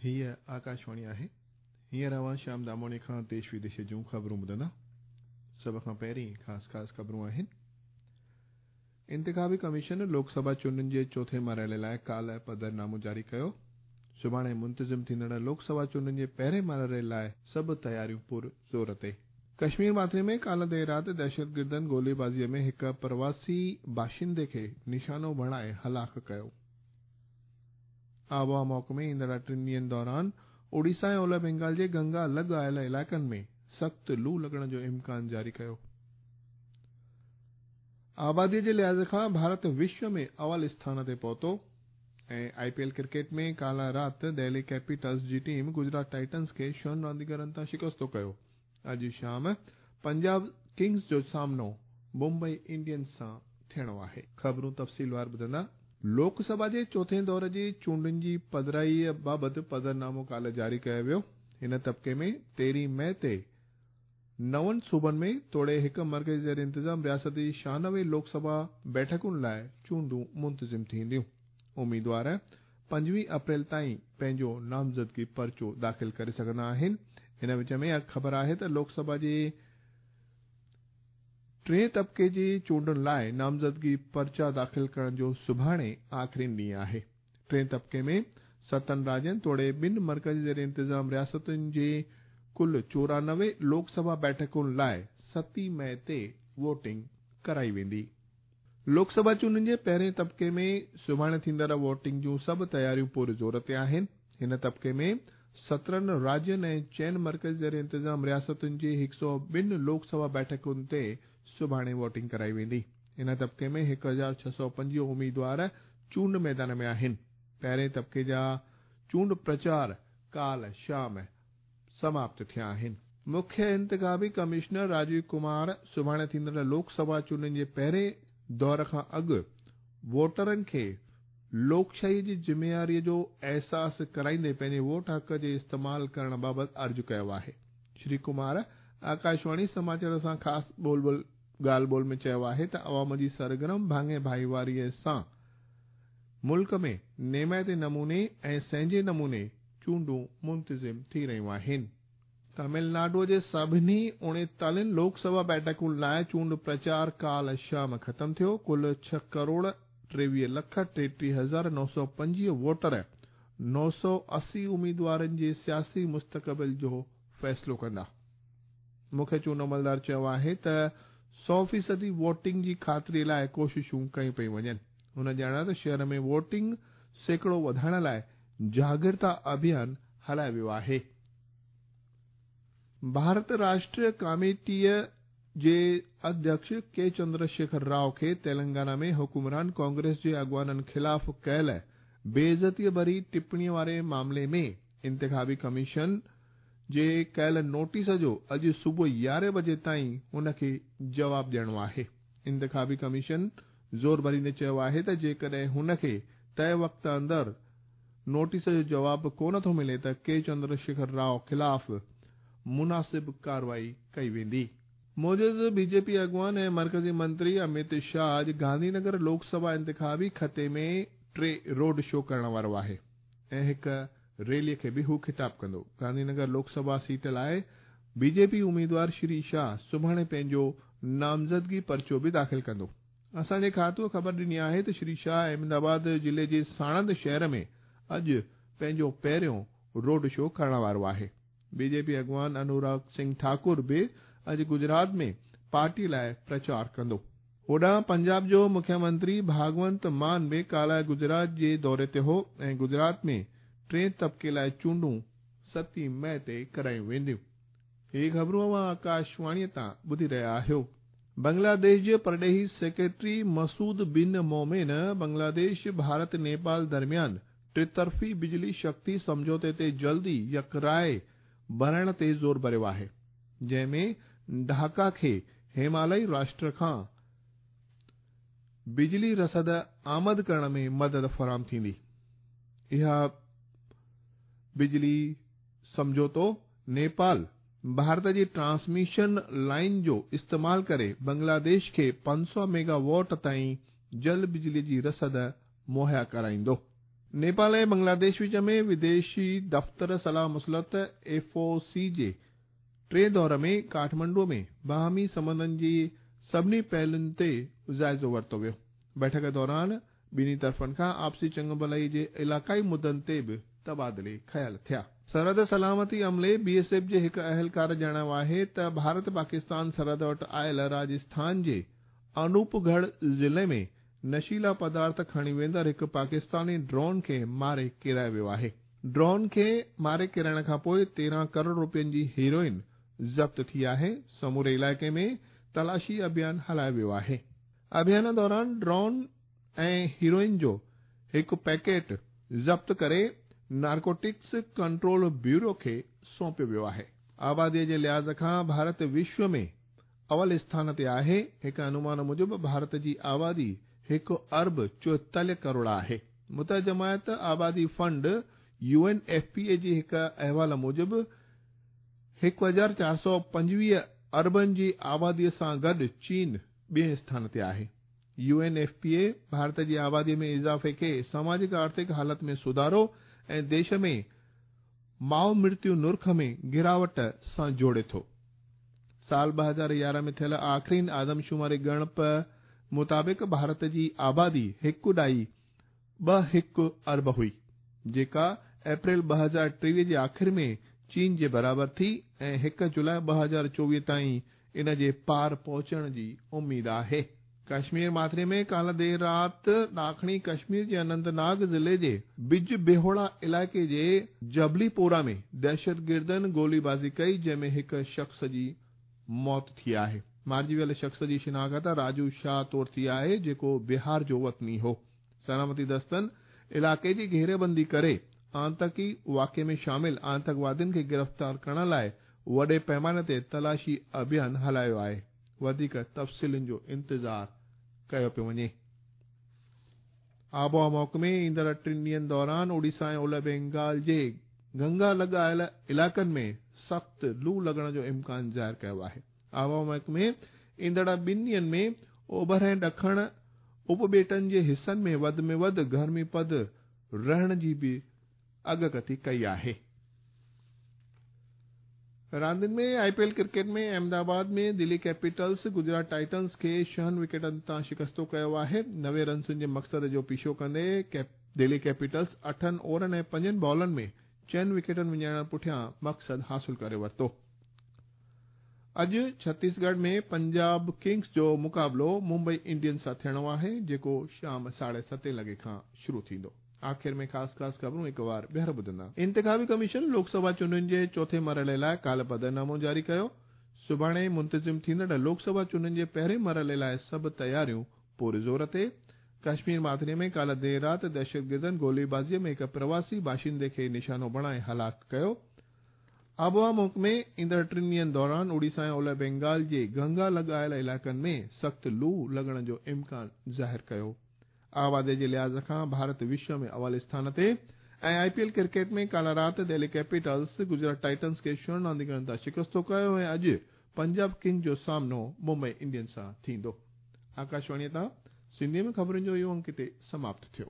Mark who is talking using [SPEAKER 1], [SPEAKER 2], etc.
[SPEAKER 1] هيء آڪاشواڻي آهي. هينئر اوهان شيام داموڻي کان ديش وديش جون خبرون ٻڌندا. سڀ کان پهرين خاص خاص خبرون آهن. انتخابي ڪميشن لوڪ سڀا چونڊن جي چوٿين مرحلي لاء ڪالهه پڌرنامو جاري ڪيو. سڀاڻي منتظم ٿيندڙ لوڪ سڀا چونڊن جي پهرين مرحلي لاء سڀ تياريون پر زور تي. ڪشمير ماٿري ۾ ڪالهه دير رات دهشتگردن گوليبازيء ۾ هڪ پرواسي باشندي کي نشانو بڻائي هلاڪ ڪيو. آبهوا محڪمي ايندڙ ٽن ڏينهن دوران اوڙيسا ۽ اولهه بينگال جي گنگا لڳ آيل علائقن ۾ سخت لو لڳڻ جو امڪان جاري ڪيو. آبادي جي لحاظ کان ڀارت وشو ۾ اول اسٿان تي پهتو ۽ آء پي ايل ڪرڪيٽ ۾ ڪالهه رات دهلي ڪيپيٽلز جي ٽيم گجرات ٽائٽنز کي ڇهن رانديگرن تان شڪستو ڪيو. اڄ شام پنجاب ڪنگز جو سامنو ممبئي انڊينز سان ٿيڻو آهي. خبرون تفصيلوار ٻڌندا. لوڪ سڀا جي چوٿين دور جي چونڊن جي پڌرائيء بابت پڌرنامو ڪالهه جاري ڪيو ويو. هن طبقي ۾ تيرهين مئي تي نون صوبن ۾ توڙي هڪ مرڪزي زير انتظام رياست جي 96 لوڪ سڀا بيٺڪن لاء چونڊون منتظم ٿينديون. اميدوار 25 اپريل تائين پنهنجو نامزدگي پرچو داخل ڪري سگهندا آهن. ان وچ ۾ خبر آهي ته لوڪ سڀا جي ٽئين طبقي جي چونڊن لاء نامزدگي پرچا داخل ڪرڻ جو سڀاڻي آخرين ڏينهن آهي. ٽئين طبقي ۾ ستن راڄين توڙي ٻن مرڪزي زير انتظام رياستن جي ڪل 94 لوڪ سڀا بيٺڪن لاء ستين مئي تي ووٽنگ ڪرائي ويندي. لوڪ سڀا چونڊن جي پهرين طبقي ۾ سڀاڻي ٿيندڙ ووٽنگ جون سڀ تياريون پوري زور تي آهن. هن طبقي ۾ 17 راڄين ۽ چئن مرڪزي زير انتظام رياستن جي 102 لوڪ سڀا بيٺڪن تي سڀاڻي ووٽنگ ڪرائي ويندي. ان طبقي ۾ 1625 اميدوار چونڊ ميدان ۾ آهن. پهرين طبقي جا چونڊ پرچار ڪالهه شام سماپت ٿيا آهن. مکيه انتخابي ڪمشنر راجيو ڪمار سڀاڻي ٿيندڙ لوڪ سڀا چونڊن جي پهرين دور کان اڳ ووٽرن کي لوڪشاهي جي ذميواري جو احساس ڪرائيندي پنهنجي ووٽ حق جي استعمال ڪرڻ بابت عرض ڪيو آهي. شري ڪمار آڪاشواڻي سماچار سان خاص ڳالهه ٻولهه ۾ چيو آهي ته عوام جي سرگرم ڀاڱي ڀائيواري سان ملڪ ۾ نيمائتي نموني ۽ سهنجي نموني چونڊون منتظم ٿي رهيون آهن. تامل ناڊو جي سڀني 39 لوڪ سڀا بيٺڪن لاء چونڊ پرچار ڪالهه شام ختم ٿيو. ڪل ڇهه ڪروڙ 23 لک 33,925 ووٽر 980 اميدوارن جي سياسي مستقبل جو فيصلو ڪندا. مکيه چونڊ عملدار چيو آهي ته سؤ فيصدي ووٽنگ جي خاطري لاء ڪوششون ڪيون پيون وڃن. هن ڄاڻايو ته شهر ۾ ووٽنگ سيڪڙو وڌائڻ لاء جاڳرتا اڀيان هلايو ويو آهي. ڀارت راشٽر ڪاميٽيء جي اڌيڪش ڪي چندر شيکر رائو کي تيلنگانا ۾ حڪمران ڪانگريس جي اڳواڻن خلاف ڪيل بي عزتيء ڀري ٽپڻيء واري معاملي ۾ انتخابي ڪميشن جي ڪيل نوٽيس جو اڄ صبح 11 بجي تائين هن کي جواب ڏيڻو آهي. انتخابي ڪميشن زور ڀريندي چيو آهي ته جيڪڏهن هن کي طئي وقت اندر نوٽيس جو جواب ڪونه ٿو ملي ته ڪي چندر شيکر رائو خلاف مناسب ڪارروائي ڪئي ويندي. موجز بي جي پي اڳواڻ ۽ مرڪزي منتري اميت شاهه اڄ گانڌي نگر لوڪ سڀا انتخابي خطي ۾ ٽي روڊ شو ڪرڻ وارو آهي ۽ هڪ ريلي کي به هو خطاب ڪندو. گانڌي نگر لوڪ سڀا سيٽ لاء بي جي پي اميدوار شري شاهه سڀاڻي پنهنجو نامزدگي پرچو به داخل ڪندو. اسان جي کاتوء خبر ڏني آهي ته شري شاهه احمد آباد ضلعي جي ساڻند شهر ۾ اڄ پنهنجو پهريون روڊ شو ڪرڻ وارو آهي. بي جي پي اڳواڻ انوراگ سنگهه ٺاڪر به اڄ گجرات ۾ پارٽي لاء پرچار ڪندو. هوڏانهن پنجاب جو مکيه منتري ڀاڳونت مان به ڪالهه گجرات جي دوري تي هو ۽ گجرات ۾ ٽئين طبقي لاء چونڊون ستين مئي تي ڪرايون وينديون. هي خبرون اوهان آڪاشواڻيء تان ٻڌي رهيا آهيو. بنگلاديش جي پرڏيهي سيڪريٽري مسعود بن مومن بنگلاديش ڀارت نيپال درميان ٽطرفي بجلي شڪتي سمجهوتي تي جلدي يڪراء بڻائڻ تي زور ڀريو آهي جنهن ۾ ڍاڪا کي همالئي راشٽر کان بجلي رسد آمد ڪرڻ ۾ مدد فراهم ٿيندي. اها بجلي سمجهوتو نيپال ڀارت جي ٽرانسميشن لائين جو استعمال ڪري بنگلاديش کي 500 ميگا واٽ تائين جل بجلي جي رسد مهيا ڪرائيندو. نيپال ۽ بنگلاديش وچ ۾ وديشي دفتر صلاح مصلحت، ايف او سي، جي ٽئين دور ۾ ڪاٺمنڊو ۾ باهمي سنٻنڌن جي سڀني پهلوئن تي جائزو ورتو ويو. بيٺڪ دوران ٻنهي طرفن کان آپسي چڱڀلائي جي علائقائي مدن تي به تبادلي خيال ٿيا. سرحد سلامتي عملي، بي ايس ايف، جي هڪ اهلڪار ڄاڻايو آهي ته ڀارت پاڪستان سرحد وٽ آيل راجسٿان جي انوپ ڳڙهه ضلعي ۾ نشيلا پدارٿ کڻي ويندڙ هڪ پاڪستاني ڊرون کي ماري ڪيرايو ويو آهي. ڊرون کي ماري ڪيرائڻ کانپوء 13 ڪروڙ روپين جي هيروئن ضبط ٿي آهي. سموري علائقي ۾ تلاشي اڀيان هلايو ويو آهي. اڀيان دوران ڊرون ۽ هيروئن جو هڪ پيڪيٽ ضبط ڪري نارڪوٽڪس ڪنٽرول بيورو کي سونپيو ويو آهي. آبادي جي لحاظ کان ڀارت وشو ۾ اول اسٿان تي آهي. هڪ انومان موجب ڀارت جي آبادي هڪ ارب 44 ڪروڙ آهي. متحده جماعت آبادي fund, U N F P A, جي هڪ احوال موجب 1425 اربن جي آبادي سان گڏ چين ٻئين اسٿان تي آهي. U N F P A Bharat جي آبادي ۾ اضافي کي سماجڪ آرٿڪ حالت ۾ سڌارو ۽ ديش ۾ ماء مرتيو نرخ ۾ گراوٽ سان جوڙي ٿو. سال 2011 ۾ ٿيل آخرين آدمشماري ڳڻپ مطابق ڀارت جي آبادي هڪ ڏائي ٻه هڪ ارب هئي، جيڪا اپريل 2023 جي آخر ۾ چين جي برابر ٿي ۽ 1 جولاء 2024 تائين ان جي پار پهچڻ جي اميد آهي. ڪشمير ماٿري ۾ ڪالهه دير رات ڏاکڻي ڪشمير جي اننت ناگ ضلعي جي بج بيهوڙا علائقي جي جبلي پورا ۾ دهشتگردن گولي بازي ڪئي جنهن ۾ هڪ شخص جي موت ٿي آهي. مارجي ويل شخص جي شناخت راجو شاهه طور ٿي آهي جيڪو بهار جو وطني هو. سلامتي دستن علائقي جي گهيريبندي ڪري آتنڪي واقعي ۾ شامل آتنڪوادين کي گرفتار ڪرڻ لاء وڏي پئماني تي تلاشي اڀيان هلايو آهي. وڌيڪ تفصيلن جو انتظار ڪيو پيو وڃي. آبهوا محڪمي ايندڙ ٽن ڏينهن دوران اوڙيسا ۽ اولهه بينگال جي گنگا لڳ آيل علائقن ۾ سخت لو لڳڻ جو امڪان ظاهر ڪيو آهي. آبهوا محڪمي ايندڙ ٻن ڏينهن ۾ اوڀر ۽ ڏکڻ اپٻيٽن جي حصن ۾ وڌ ۾ وڌ گرمي پد رهڻ جي به اڳڪٿي ڪئي آهي. راندين ۾ I P L cricket ۾ Ahmedabad ۾ Delhi Capitals Gujarat Titans کي ڇهن وڪيٽن تان شڪستو ڪيو آهي. 90 رنسن جي مقصد جو پيڇو ڪندي دهلي ڪيپيٽلز اٺن اوورن ۽ پنجن بالن ۾ چئن وڪيٽن وڃائڻ پٺيان مقصد حاصل ڪري ورتو. اڄ ڇتيسڳڙهه ۾ پنجاب ڪنگز جو مقابلو ممبئي انڊينز سان ٿيڻو آهي جيڪو شام ساڍي ستين لڳي کان شروع ٿيندو. آخر ۾ خاص خاص خبرون هڪ وار ٻيهر ٻڌندا. انتخابي ڪميشن لوڪ سڀا چونڊن جي چوٿين مرحلي لاء ڪالهه پڌرنامو جاري ڪيو. سڀاڻي منتظم ٿيندڙ لوڪ سڀا چونڊن جي پهرين مرحلي لاء سڀ تياريون پوري زور تي. ڪشمير ماٿري ۾ ڪالهه دير رات دهشتگردن گوليبازي ۾ هڪ پرواسي باشندي کي نشانو بڻائي هلاڪ ڪيو. آبهوا محڪمي ايندڙ ٽن ڏينهن دوران اوڙيسا ۽ اولهه بينگال جي گنگا لڳ آيل علائقن ۾ سخت لو لڳڻ جو امڪان ظاهر ڪيو. آبادي جي لحاظ کان ڀارت وشو ۾ اول اسٿان تي ۽ آء پي ايل ڪرڪيٽ ۾ ڪالهه رات دهلي ڪيپيٽلز گجرات ٽائٽنز کي ڇهن رانديگرن تان شڪستو ڪيو ۽ اڄ پنجاب ڪنگز جو سامنو ممبئي انڊينز سان ٿيندو. آڪاشواڻي تان سنڌي ۾ خبرن جو اهو انڪ هتي سماپت ٿيو.